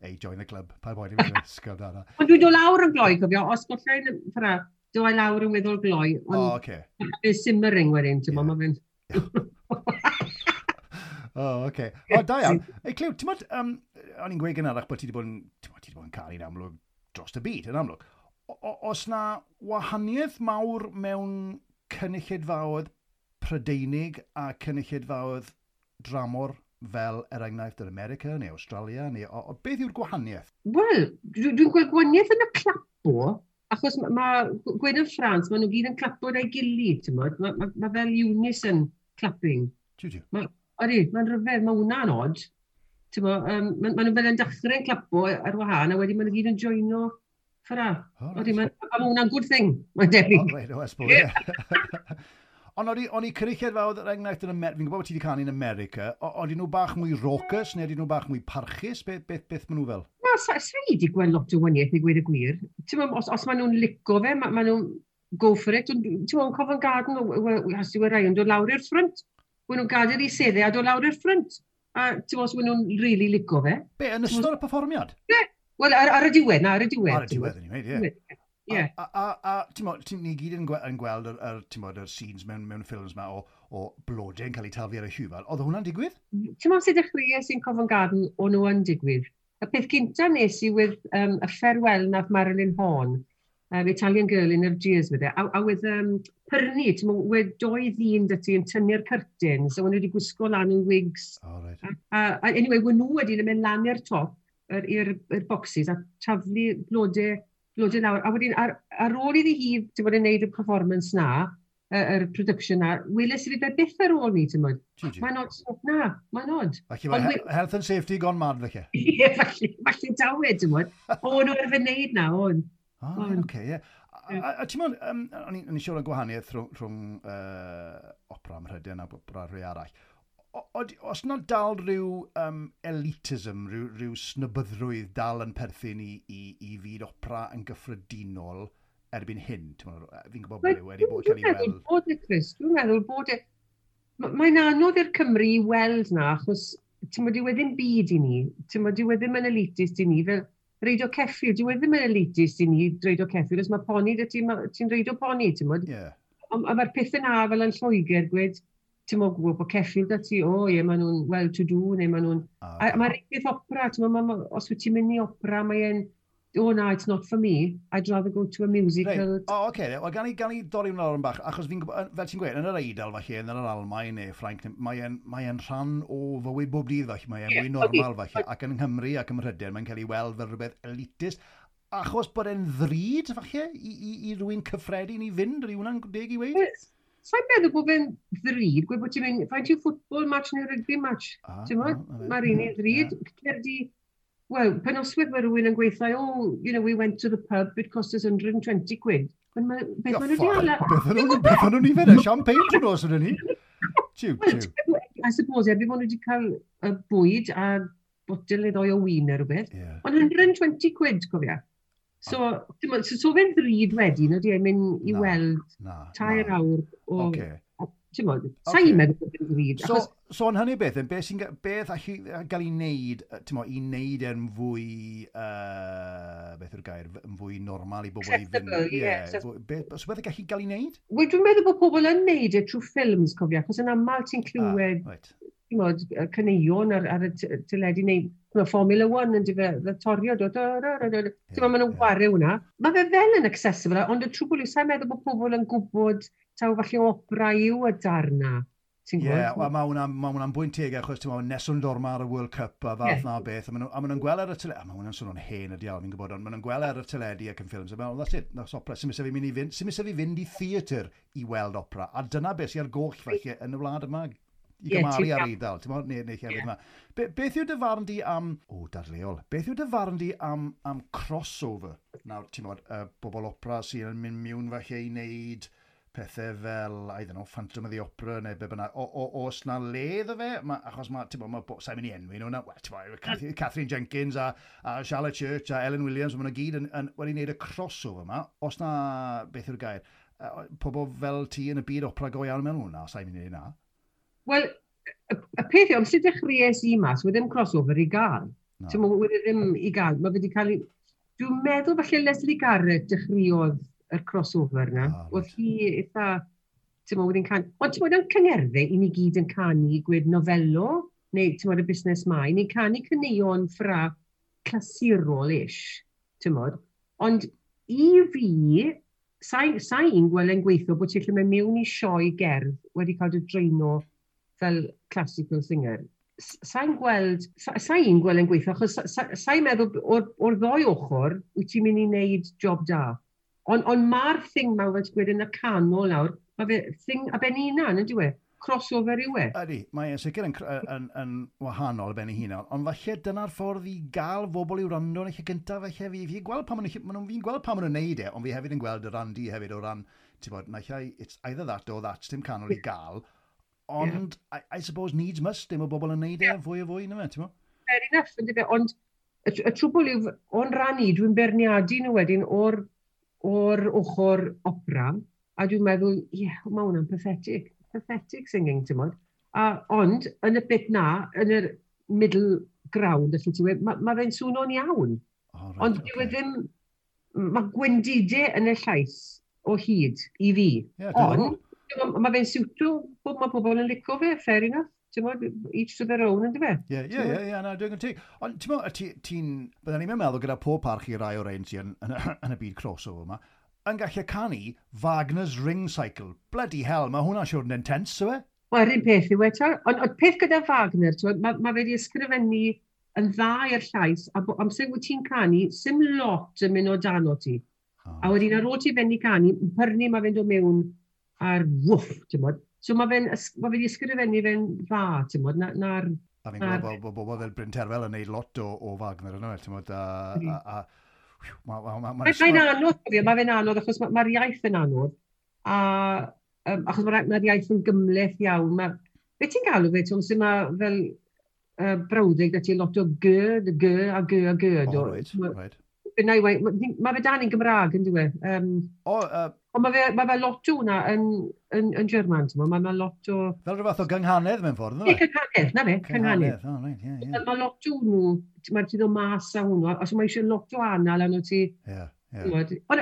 Ei, join the club. Pa boen i fi ysgol da. Ond dwi'n dod lawr yn gloi, cofio. Os gollai'n ffra, dod i lawr yn weddol gloi. O, oce. Mae'n simmering wedyn, ti'n bod, mae fe'n... O, oce. O, da iawn. Ei, Clyw, ti'n bod, o'n i'n gweud gynharach bod ti wedi bod yn, ti'n bod, ti wedi bod yn caru'n amlwg dros y byd, yn amlwg. Os na wahaniaeth mawr mewn cynulleidfaoedd Prydeinig a cynulleidfaoedd dramor fel er enghraifft yn America neu Australia, neu beth yw'r gwahaniaeth? Wel, dwi'n gweld gwahaniaeth yn y clapo, achos mae gweud yn Ffrans, maen nhw gyd yn clapo da'i gilydd, ti'n bod? Mae fel unison clapping. Jiw, jiw. Odi, mae'n rhyfedd, mae hwnna'n odd. Ti'n bod, maen nhw fel yn dechrau'n clapo ar wahân, a wedyn maen nhw gyd yn joino ffra. Odi, mae hwnna'n good thing, mae'n debyg. O, reit, o, I suppose, ie. Ond o'n i cynulleidfaoedd, er enghraifft yn America, fi'n gwybod bod ti wedi canu yn America, oedden nhw bach mwy raucous, neu oedden nhw bach mwy parchus? Beth maen nhw fel? Na, sa i wedi gweld lot o waniaeth i gweud y gwir. Ti'n meddwl, os maen nhw'n lico fe, maen nhw'n go for it. Ti'n meddwl, Covent Garden, has i rai yn dod lawr i'r ffrynt. Maen nhw'n gadael i seddau a dod lawr i'r ffrynt. A ti'n meddwl, os maen nhw'n really lico fe. Be, yn ystod y perfformiad? Ie, wel, ar y diwedd, na, ar y diwedd. Ar y diwedd, anyway, ie. Yeah. A ti'n mo, ni gyd yn gweld yr, ti'n mo, yr scenes mewn ffilms ma o blodau yn cael eu taflu ar y llwyfan. Oedd hwnna'n digwydd? Ti'n mo, sut dechreuais i'n Covent Garden, o'n nhw yn digwydd. Y peth cynta nes i with y farewell nath Marilyn Horne, Italian Girl in Algiers with e, a with pyrnu, ti'n mo, wedd doi ddyn 'da ti yn tynnu'r curtains, a o'n nhw wedi gwisgo lan yn wigs. Oh, right. A anyway, wyn nhw wedyn yn mynd lan i'r top, i'r boxes, a taflu blodau lawr. A wedyn, ar ôl iddi hi, ti'n bod, yn neud y performance na, yr production na, weles i fi fe byth ar ôl ni, ti'n bod. Mae'n odd, so, na, mae'n odd. Felly mae health and safety gone mad, felly. Ie, falle dawed, ti'n bod. O, nhw arfer wneud na, o'n. Oh, right, oce, ie. A ti'n meddwl, o'n i'n siŵr o gwahaniaeth rhwng opera Mhrydain a opera rhai arall. Os na dal rhyw elitism, rhyw snobyddrwydd dal yn perthyn i fyd opera yn gyffredinol erbyn hyn, ti'n meddwl, fi'n gwybod bod e wedi bod cael ei weld. Dwi'n meddwl bod e, Chris, dwi'n meddwl bod e. Mae'n anodd i'r Cymru i weld na, achos ti'n bod, dyw e ddim byd i ni. Ti'n bod, dyw e ddim yn elitist i ni. Fel reidio ceffyl, dyw e ddim yn elitist i ni reidio ceffyl, os mae poni 'da ti, ti'n reidio poni, ti'n bod. Ond a mae'r pethau na fel yn Lloegr, gwed, ti'n bod, gwybod bod ceffyl 'da ti, o ie, maen nhw'n well-to-do, neu maen nhw'n. A mae'r peth opera, ti'n bod, os wyt ti'n mynd i opera, mae'n, "Oh no, it's not for me. I'd rather go to a musical." Reit, o, oce, okay. Wel, gan i dorri hwnna lawr yn bach, achos fi'n gwybod, fel ti'n gweud, yn yr Eidal falle, yn yr Almaen neu Ffrainc, mae e'n rhan o fywyd bob dydd falle, mae e'n mwy normal falle, ac yn Nghymru ac ym Mhrydain, mae'n cael ei weld fel rhywbeth elitist, achos bod e'n ddrud falle i rywun cyffredin i fynd, ydy hwnna'n deg i weud? Sa'n meddwl bod fe'n ddrud, gweud bod ti'n mynd, faint yw football match neu rugby match? Ah, Ti'n ah, gwbod? na fe. Mae'r un un ddrud. Cer di, wel, penoswydd mae rhywun yn gweithio, "Oh, we went to the pub, it cost us 120 quid." Ond beth maen nhw wedi hala? Beth o'n nhw'n i fe? Champagne trwy nos ydyn ni? Tiw, Wel, tiw. I suppose, erbyn bod nhw wedi cael y bwyd a botel neu ddoi o win neu rhywbeth. Ond 120 quid, cofia. So, ti'n gwbod, so fe'n ddrud wedyn, ydy e'n mynd i Na, weld Na, 3 na. awr o Ocê. Ti'n gwbod, sa i'n meddwl bod fe'n ddrud. So, Achos, so yn hynny beth, beth allu gael ei wneud, ti'n mo, i wneud e'n fwy, beth yw'r gair, yn fwy normal i bobl i fynd? Accessible, ie, Ie, accessible. So beth gallu gael ei wneud? Wel, dwi'n meddwl bod pobl yn neud e trwy ffilms, cofia, achos yn aml ti'n clywed, Ah, right. ti'n gwbod, y caneuon ar y teledu neu ti'n gwbod, Formula One yn dyfe, fel torio, do, do, do, do, do. Ti'n gwbod, maen nhw'n chwarae hwnna. Mae fe fel yn accessible, ond y trwbl yw, sa'n meddwl bod pobl yn gwybod taw falle opera yw y darna. Ti'n Ie, gwybod? wel, ma hwnna'n bwynt teg achos ti'n meddwl, Nessun Dorma ar y World Cup a fath na beth, a ma nhw'n gweld ar y teledu, a ma hwnna'n swnio'n hen y diawl, fi'n gwybod, ond ma nhw'n gweld ar y teledu ac yn ffilms, a meddwl, that's it, that's opera. Sy'n fi mynd i fynd, sy'n fi fynd i theatr i weld opera, a dyna beth sy'n ar goll falle yn y wlad yma, i gymharu ti'n ar iawn. Eidal, ti'n meddwl, neu llefydd yma. Beth yw dy farn di am, o, dadleol, beth yw dy farn di am crossover? Nawr, ti'n meddwl, bobl opera sy'n mynd mewn falle i wneud pethau fel, I don't know, Phantom of the Opera neu be bynnag. Oes na le iddo fe? Achos mae, ti'n bod, sa'n mynd i enwi nhw na, well, ti'n bod, Katherine Jenkins a Charlotte Church a Ellen Williams, maen nhw gyd yn wedi wneud y crossover yma. Oes na, beth yw'r gair, pobl fel ti yn y byd opera go iawn mewn hwnna, sa'n mynd i wneud na. Wel, y peth yw, amser dechreuais i mas, wedd ddim crossover i gael. Na. Ti'n gwbod, wedd e ddim i gael. Mae fe wedi cael ei. Dwi'n meddwl falle Lesley Garrett dechreuodd y crossover na. Ah, reit. Oedd hi eitha. Ti'n gwbod, wedi'n can. Ond ti'n gwbod, yn cyngerdde, i ni gyd yn canu gwed Novello, neu ti'n gwbod, y busnes ma, i ni'n canu caneuon ffra clasurol-ish, ti'n gwbod. Ond i fi, sa i'n gweld e'n gweithio bod ti'n gallu mynd mewn i sioe gerdd wedi cael dy dreino fel classical singer. Sa'n gweld, sa i'n gweld e'n gweithio, achos sa i'n meddwl o'r ddoi ochr, wyt ti'n mynd i wneud job da. Ond mae'r thing ma, fel ti'n gweud, yn y canol nawr, mae fe thing a ben ei hunan, yn dyw e? Crossover yw e. Ydy, mae e'n sicr yn wahanol ben ei hunan, ond falle dyna'r ffordd i gael bobl i wrando yn y lle gyntaf, falle fi gweld pan fi'n gweld pan maen nhw'n neud e, ond fi hefyd yn gweld y ran di hefyd o ran, ti'n bod, naill ai, it's either that or that, dim canol i gael, ond I suppose needs must, dim o bobl yn neud e fwy o fwy, na fe, ti'n bod? Fair enough, yn dyfe, ond y trwbl yw, o'n ran i, dwi'n beirniadu nhw wedyn o'r ochr opera, a dwi'n meddwl, ie, yeah, mae hwnna'n pathetic, pathetic singing, ti'n bod. Ond, yn y bit na, yn yr middle ground, allu ti weud, ma fe'n swnio'n iawn. Oh, right, Ond dyw e ddim, Mae gwendidau yn y llais o hyd i fi. Yeah. Ond, mae fe'n siwto, mae pobl yn licio fe, fair enough. Ti'n bod, each to their own, ynddo fe? Ie, na, dwi'n gwybod ti. Ond ti'n bod, ti'n, byddwn ni'n meddwl gyda pob parch i rai o'r ein sy'n yn y byd crossover yma, yn gallu canu Wagner's Ring Cycle. Bloody hell, mae hwnna'n siwr yn intense, yw e? Wel, yr un peth yw e, ond peth gyda Wagner, mae ma fe wedi ysgrifennu yn dda i'r llais, a amser wyt ti'n canu, sim lot yn mynd o dan o ti. Oh. A wedyn ar ôl ti fynd i canu, pyrnu mae fe'n dod mewn ar wff, ti'n bod. So mae fe'n ma fe wedi ysgrifennu fe'n dda, ti'n bod, na'r... A fi'n gwybod bod bobl fel Bryn Terfel yn neud lot o Wagner yno, ti'n bod, a Mae'n anodd, mae fe'n anodd, achos mae'r iaith yn anodd, a achos mae'r ma iaith yn gymhleth iawn. Ma, be ti'n galw fe, ti'n sy'n mae fel brawddeg da ti lot o g, g a g a g. Oh, right, right. Mae fe dan yn Gymraeg, yn dwi? Ond mae fe lot o hwnna yn German, ti'n mae ma lot o... Fel rhyw fath o gynghanedd mewn ffordd, ynddo? Ie, cynghanedd, na fe, cynghanedd. Oh, right, yeah, yeah. Mae lot o nhw, mae ti ddod mas a hwnnw, os mae eisiau lot o anal arno ti. Ie, ie. Ond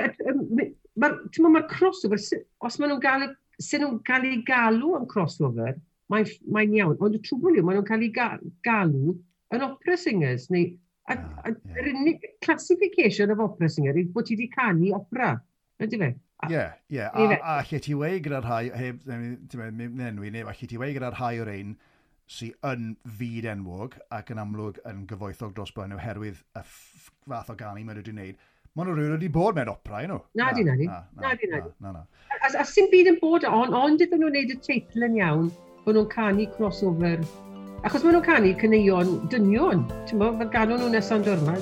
mae'r crossover, os maen nhw'n gael, sy'n nhw'n cael ei galw am crossover, mae'n mae iawn. Ond y trwbl yw, maen nhw'n cael ei galw yn opera singers, neu yr unig classification of opera singer yw bod ti wedi canu opera, ydy fe? Ie, ie. A lle ti wei gyda'r rhai, heb, ti'n enwi, neu lle ti wei gyda'r rhai o'r ein sy'n yn fyd enwog ac yn amlwg yn gyfoethog dros ben oherwydd y fath o ganu maen nhw wedi wneud. Maen nhw rhywun wedi bod mewn opera, you know? Na di, na di. Na di, na di. Na, na. A sy'n byd yn bod, ond iddyn nhw'n wneud y teitl yn iawn, bod nhw'n canu crossover. Achos maen nhw'n canu caneuon dynion, ti'n bod, fel ganwn nhw Nessun Dorma.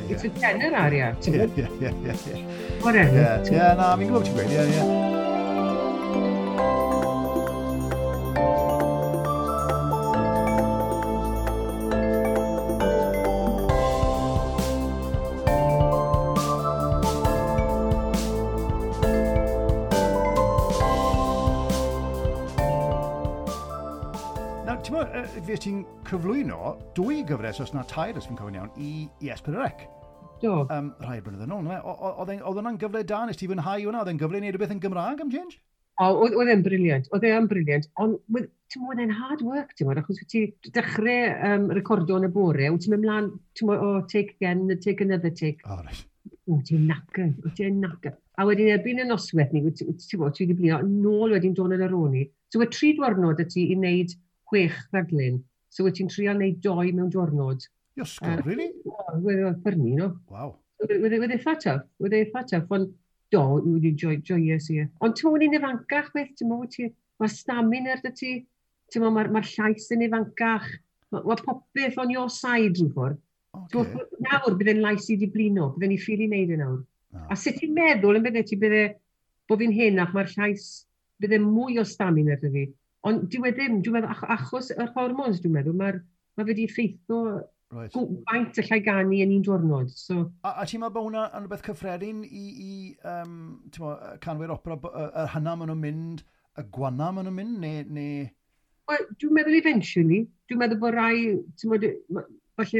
It's a tenor aria, ti'n bod? Ie, ie, ie. Whatever. Ie, na, fi'n gwybod ti'n gweud, ie, ie. Fe ti'n cyflwyno dwy gyfres, os na tair, os fi'n cofio'n iawn, i S4C. Do. Rhai blynyddoedd yn ôl, oedd hwnna'n gyfle da, nes ti fwynhau hwnna? Oedd e'n gyfle i wneud rhywbeth yn Gymraeg am change? O, oedd e'n brilliant, oedd e'n brilliant, ond ti'n bod, e'n hard work, ti'n bod, achos wyt ti dechrau recordo yn y bore, wyt ti'n mynd mlaen, ti'n bod, oh, take again, take another take. Oh, right. O, ti'n knackered, o, ti'n knackered. A wedyn erbyn y noswaith ni, ti'n bod, ti wedi blino, nôl wedyn dod yn yr o'n i. So, y 3 diwrnod y ti i wneud 6 rhaglen. So wyt ti'n trial wneud 2 mewn diwrnod. Iosgo, really? Wedd e'n ffyrnu, no? Wow. Wedd eitha tough, wedd eitha tough, ond do, wedi joyous, ie. Ond ti'n mwyn i'n ifancach beth, ti'n mwyn, mae'r stamina ar ti, ti'n mwyn, mae'r llais yn ifancach, mae popeth on your side rhyw ffordd. Okay. Nawr bydde'n lais i di blino, bydde'n i ffili wneud e nawr. No. A sut ti'n meddwl yn bydde ti bydde, bod fi'n henach, mae'r llais, bydde mwy o stamina ar fi. Ond dyw e ddim, dwi'n meddwl, achos yr hormones, dwi'n meddwl, mae fe wedi effeithio right. Faint allai ganu yn un diwrnod. So. A ti'n meddwl bod hwnna yn rhywbeth cyffredin i canwyr opera, yr hynna maen nhw'n mynd, y gwanna maen nhw'n mynd, neu... Wel, dwi'n meddwl eventually, dwi'n meddwl bod rai, ti'n meddwl, falle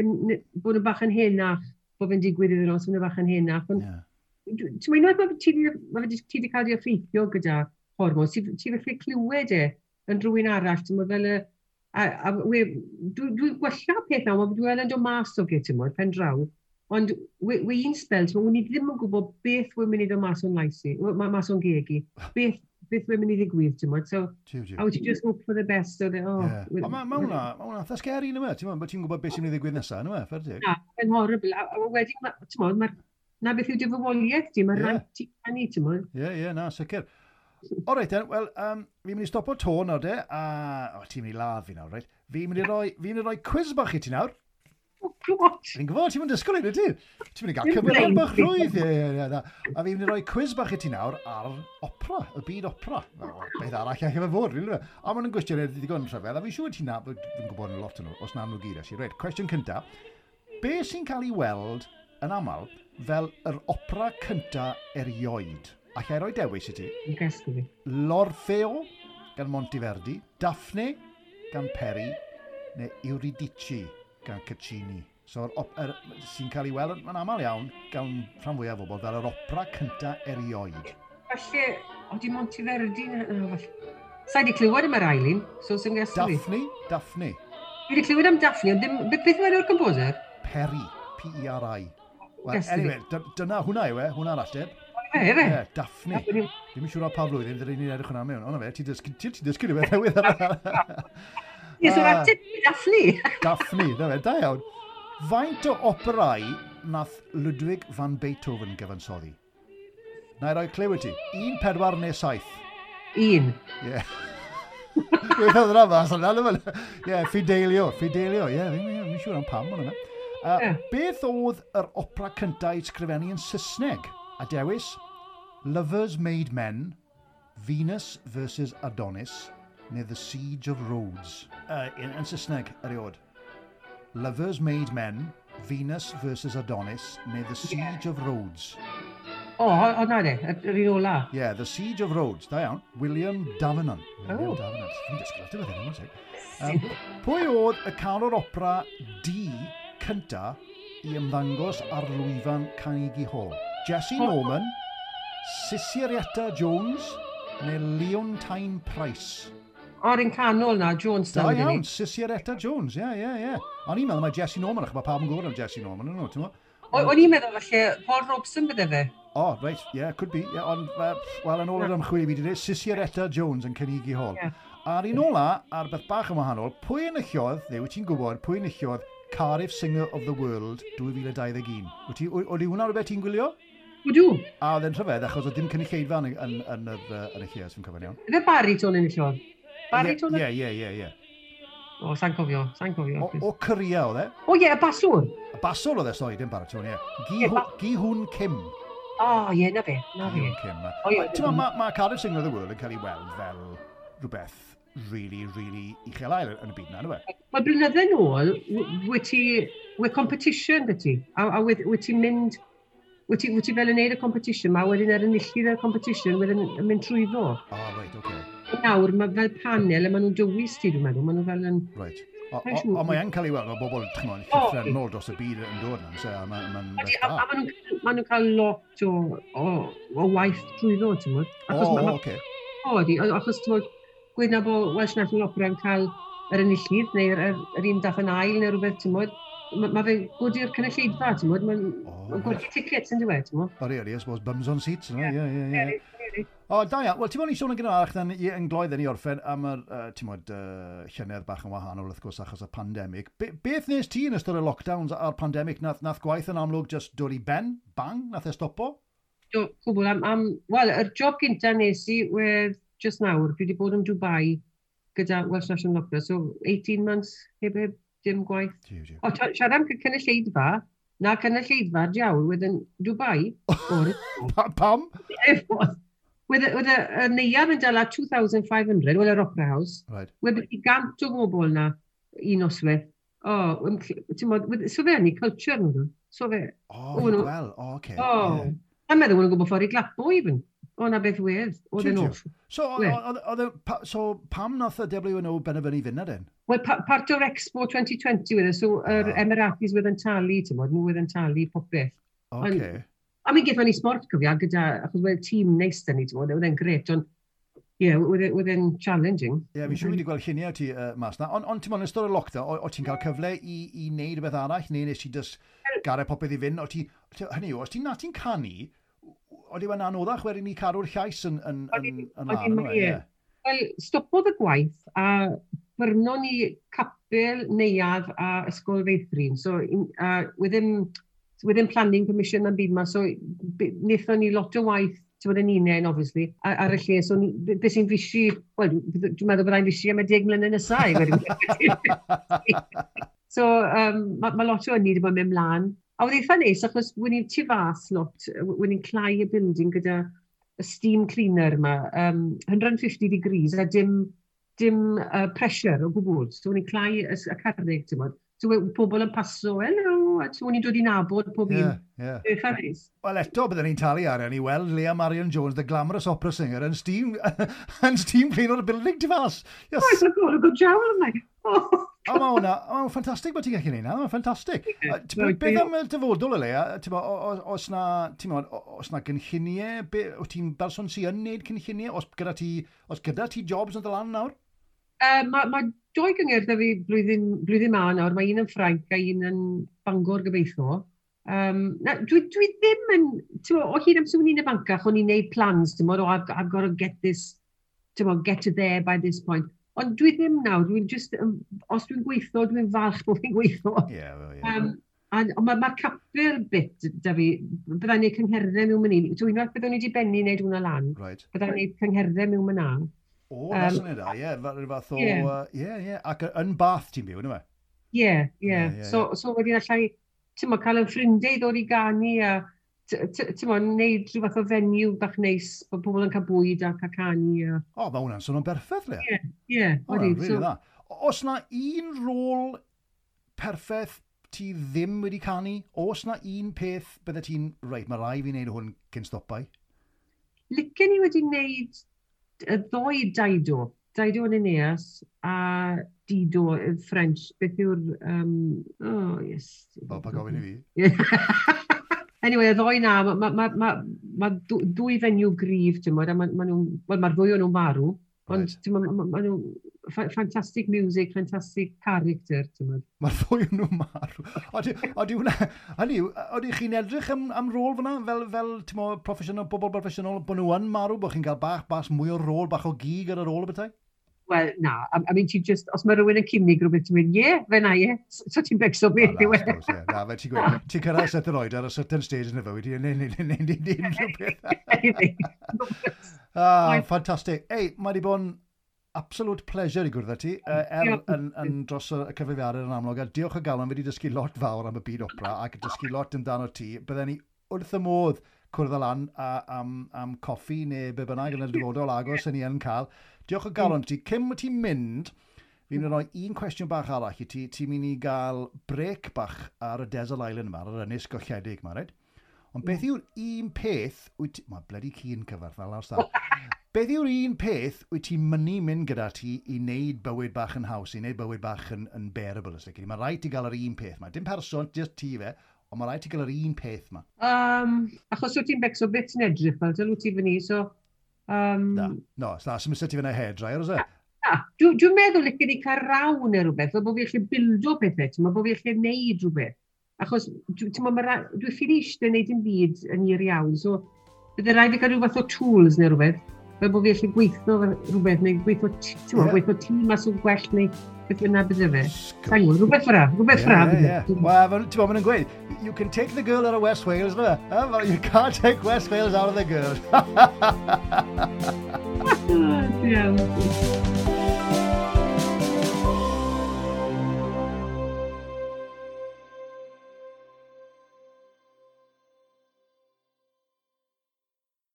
bod nhw bach yn henach, bod fe'n digwydd iddyn nhw, os nhw bach yn henach. Ond, yeah. Ti'n meddwl, unwaith mae ti wedi cael ei effeithio gyda hormones, ti felly clywed e yn rhywun arall, ti'n meddwl fel y... Dwi'n gwella peth nawr, dwi'n yn dod mas o ge, ti'n meddwl, pen draw. Ond we un spel, ti'n meddwl, ni ddim yn gwybod beth wy'n mynd i ddod mas o'n lais i, mas o'n geg i, beth wy'n mynd i ddigwydd, ti'n meddwl. So, a wyt ti just hope for the best. So, oh, yeah. Ond mae hwnna eitha scary, yna, ti'n meddwl, ti'n gwybod beth sy'n mynd i ddigwydd nesaf, yna, fair dig. Na, mae'n horrible. A wedyn, ti'n meddwl, na beth yw dy fywoliaeth ti, mae'n rhaid ti canu, ti'n meddwl. Ie, ie, na, sicr. O reit, wel, fi'n mynd i stopo to nawr de, a... O, ti'n mynd i ladd fi nawr, reit? Fi'n mynd i roi quiz bach i ti nawr. Oh, God! Fi'n gwybod, ti'n mynd i disgwyl i ti? Ti'n mynd i gael cyfrifoldeb bach rhwydd, ie, na. A fi'n mynd i roi quiz bach i ti nawr ar opera, y byd opera. Beth arall allai fe fod, rili. A maen nhw'n gwestiynau ddigon rhyfedd, a fi'n siŵr ti'n na, fi'n gwybod yn lot o'n nhw, os na nhw gyd, actually. Reit, cwestiwn cynta. Be sy'n cael ei weld yn aml fel yr opera cynta erioed? Alla i roi dewis i ti. Yn fi. L'Orfeo gan Monteverdi, Daphne gan Peri, neu Euridice gan Caccini. So, sy'n cael ei weld yn aml iawn gan rhan fwyaf o bobl fel yr opera cynta erioed. Falle, o di Monteverdi, na, falle. Sa i wedi clywed am yr ail un, so sy'n guess fi. Daphne? Daphne. Fi wedi clywed am Daphne, ond ddim, beth yw enw'r composer? Peri. Peri. Well, anyway, dyna hwnna yw e, hwnna'r ateb. Fe, efe? Ie, Daphne. Ddim yn siŵr o pa flwyddyn, ddyn ni'n edrych hwnna mewn. Ond fe, ti'n dysgu, ti dysgu rhywbeth newydd ar. Ie, so'r ateb Daphne. Daphne, na fe, da iawn. Faint o operau nath Ludwig van Beethoven gyfansoddi? Na i roi cliw i ti. 1, 4 neu 7? 1. Ie. Yeah. Gweithio yna mas yna. Ie, Fidelio, Fidelio. Ie, fi'n siŵr am pam hwnna. Beth oedd yr opera cyntaf i sgrifennu yn Saesneg? A dewis, Lovers Made Men, Venus versus Adonis, neu The Siege of Rhodes. In Saesneg, erioed. Lovers Made Men, Venus versus Adonis, neu The Siege of Rhodes. O, na de, yr un ola. Yeah, The Siege of Rhodes, da iawn. William Davenant. William Davenant. Fi'n dysgu lot o beth hyn, pwy oedd y canwr opera du cynta i ymddangos ar lwyfan Carnegie Hall? Jesse Norman, Sissieretta Jones neu Leontine Price? O'r un canol na, Jones. Da iawn, Sissieretta Jones, ie. O'n i'n meddwl mae Jesse Norman, achos mae pawb yn gwybod am Jesse Norman, yn nhw, ti'n gwybod? O'n i'n meddwl falle Paul Robeson bydde fe. Oh, right, yeah, could be. Yeah, ond, wel, yn ôl yr ymchwil i fi wedi dweud, Sissieretta Jones yn Carnegie Hall. A'r un ola, ar beth bach yn wahanol, pwy enillodd, neu wyt ti'n gwybod, pwy enillodd Cardiff Singer of the World 2021? Wyt ti, oedd hwnna rhywbeth ti'n gwylio? Ydw. A oedd e'n rhyfedd, achos oedd dim cynulleidfa yn y lle, os fi'n cofio'n iawn. Efe baritone enillodd? Baritone? Ie. O, sa'n cofio, sa'n cofio. O Korea oedd e? O ie, y baswr. Y baswr oedd e, sori, dim baritone, ie. Gi-Hoon Kim. O, ie, na fe, na fe. Gi-Hoon Kim. O, ie. Ti'n ma, ma Cardiff Singer of the World yn cael ei weld fel rhywbeth really, really uchel ael yn y byd na, ynddo? Mae blynydde nôl, wyt ti, wyt competition dy ti, a wyt ti'n mynd, wyt ti fel yn neud y competition ma, wedyn ar enillydd y competition, wedyn yn mynd trwyddo. O, oh, right, oce. Okay. Nawr, mae fel panel, a maen nhw'n dewis ti, dwi'n meddwl, maen nhw fel yn. Right. O, mae yn cael ei weld, mae bobl, ch'mod, llythrennol dros y byd yn dod yna, so, a maen nhw'n cael lot o waith trwyddo, ti'n gwybod? O, oce. O, ydi, achos, ti'n gwybod, gweud na bod Welsh National Opera yn cael yr enillydd, neu'r yr un dath yn ail, neu rhywbeth, ti'n gwybod, ma fe'n good i'r cynulleidfa, ti'n gwybod, mae'n ma gwerthu tickets yn dweud, ti'n gwybod. Odi, I suppose, bums on seats, no? Ie. O, da iawn. Wel, ti'n bod ni sôn yn gynharach dan yn gloedd ni orffen am yr, ti'n bod, llynedd bach yn wahanol, wrth gwrs, achos y pandemig. Beth nes ti yn ystod y lockdowns a'r pandemig? Nath gwaith yn amlwg just dod i ben? Bang? Nath e stopo? Do, cwbl. Wel, yr job gynta nes i wedd just nawr, dwi wedi bod yn Dubai gyda Welsh National Opera, so 18 months heb dim gwaith. Jiw, jiw. O, siarad am cynulleidfa, na cynulleidfa diawl wedd yn Dubai. O'r Pam? Wedd y neuadd yn dala 2,500, wel yr Opera House. Wedd i 100 o bobl na un noswaith. O, ti'n bod, so fe yn i culture nhw. So fe. O, fi'n gweld. O, oce. O, a meddwl nhw'n gwybod ffordd i glapo even. O, na beth wedd. Oedd yn off. So, so, pam nath y WNO benderfynu fynd na den? Wel, pa, part o'r Expo 2020 wedd e, so yr Emiratis wedd yn talu, ti'n bod, nhw wedd yn talu popeth. Oce. A mi gaethon ni sport cofio, gyda, achos wedd tîm neis da ni, ti'n bod, oedd e'n gret, ond ie, yeah, oedd e'n challenging. Ie, yeah, fi'n siŵr wedi gweld lluniau ti mas na. Ond ti'n bod, yn ystod y lockdown, o ti'n cael cyfle i wneud rhywbeth arall, neu nes ti just gadael popeth i fynd? O ti, hynny yw, os ti'n na ti'n canu, oedd i'n anoddach wedyn i cadw'r llais yn lan, ie? Wel, stopodd y gwaith a byrnon ni capel, neuadd a ysgol feithrin. So, wedd ddim planning permission am byd ma, so wnaethon ni lot o waith, ti'n bod yn unen, obviously, ar y lle. So, beth sy'n fishi, wel, dwi'n meddwl byddai'n fishi am y 10 mlynedd nesaf. I gweud. So, ma lot o ynni wedi bod yn mynd mlaen. A oedd eitha neis, achos wyn ni'n tu fas lot, wyn ni'n clau y building gyda y steam cleaner yma, 150 degrees a dim pressure o gwbl. So wyn ni'n clau y carreg, ti'n bod. So pobl yn paso, "Hello," a so wyn ni'n dod i nabod pob un. Eitha neis. Wel, eto byddwn ni'n talu arian i weld Leah Marian Jones, the glamorous opera singer, yn steam clean o'r building tu fas. Yes. Oh, it's a good job, yma. Oh. O, mae hwnna, mae'n ffantastig bod ti'n gallu neud na, mae'n ffantastig. Beth am y dyfodol o leia, oes na, ti'n oes na gynlluniau, wyt ti'n berson sy'n yn neud cynlluniau, os gyda ti, os gyda ti jobs yn dy lan nawr? Mae doi gyngerdd da fi blwyddyn ma nawr, mae un yn Ffrainc a un yn Bangor gobeithio. Na, dwi ddim yn, ti'n o hyd amser o'n i'n ifancach, o'n i'n neud plans, ti'n oh, I've got to get this, ti'n get to there by this point. Ond dwi ddim nawr, dwi'n just, os dwi'n gweithio, dwi'n falch bod fi'n gweithio. Ie, well, ie. A mae'r ma capel bit da fi, byddai'n neud cyngherddau mewn mynd i. So unwaith byddwn ni wedi bennu wneud hwnna lan, byddai'n neud cyngherddau mewn mynd. O, na syniad da, ie, rhyw fath o, ie, ie, ac yn Bath ti'n byw, yna fe? Ie. So wedyn allai, ti'n mo, cael yn ffrindiau i ddod i ganu a ti'n mo, neud rhyw fath o venue bach neis, bod pobl yn cael bwyd a cael canu. A. O, mae hwnna'n swnio'n berffaith, Lea. Ie, O, hwnna'n really dda. Os na un rôl perffaith ti ddim wedi canu, oes na un peth bydde ti'n, reit, mae rai fi wneud hwn cyn stopau? Licen i wedi wneud y ddoi Dido. Dido yn Aeneas a Dido yn French. Beth yw'r... Oh, yes. O, pa gofyn i fi? Anyway, y ddoi na, mae ma dwy fenyw gryf, ti'n modd, a ma nhw'n, wel, mae'r ddwy o'n nhw'n marw, ond ti'n modd, ma nhw'n fantastic music, fantastic character, ti'n modd. Mae'r ddwy o'n nhw'n marw. Odi hwnna, hynny yw, odi chi'n edrych am rôl fyna, fel ti'n mo, proffesiynol, bobl proffesiynol, bod nhw yn marw, bod chi'n cael bach, bach mwy o rôl, bach o gig ar yr ôl y bethau? Wel, na, I mean, ti just, os mae rhywun yn cynnig rhywbeth, ti'n mynd, ie, fe na, ie, so ti'n becso beth yw e. Na, na, fe ti'n gweud, ti'n cyrraedd set yr oed ar a certain stage yn y fywyd, ti'n neud unrhyw beth. Ah, ffantastig. Ei, mae wedi bod yn absolute pleasure i gwrdd â ti, er yn dros y cyfrifiadur yn amlwg, a diolch o galon, fi wedi dysgu lot fawr am y byd opera ac dysgu lot amdano ti. Bydden ni wrth y modd cwrdd â lan am coffi neu be bynnag yn y dyfodol agos yn ni yn cael. Diolch o galon ti. Cyn bod ti'n mynd, fi'n mynd i roi un cwestiwn bach arall i ti. Ti'n mynd i gael break bach ar y Desert Island yma, ar yr ynys golledig yma, reit? Ond beth yw'r un peth wyt ti... Mae bloody ci'n cyfarth fel lawr star. Beth yw'r un peth wyt ti'n mynnu mynd gyda ti i wneud bywyd bach yn haws, i wneud bywyd bach yn bearable, os lici di? Mae rhaid ti gael yr un peth yma. Dim person, just ti fe, ond mae rhaid ti gael yr un peth yma. Achos wyt ti'n becso beth ti'n edrych fel, dyl wyt ti fyny, so... Na, no, na, sy'n mysio ti fyna hairdryer, oes e? Na, dwi'n meddwl licen i cael raw neu rhywbeth, fel bod fi allu bildo pethau, ti'n meddwl bod fi allu neud rhywbeth. Achos, ti'n meddwl, dwi'n ffili eistedd neud dim byd yn hir iawn, so bydde rhaid fi cael rhyw fath o tools neu rhywbeth, fel bod fi allu gweithio rhywbeth, neu gweithio, ti'n meddwl, gweithio tîm mas o'n gwell, neu beth bynnag bydde fe. Sa'n gwybod, rhywbeth fyra, rhywbeth fyra. Wel, ti'n meddwl, maen nhw'n gweud, you can take the girl out of West Wales, no? You can't take West Wales out of the girl. Iawn.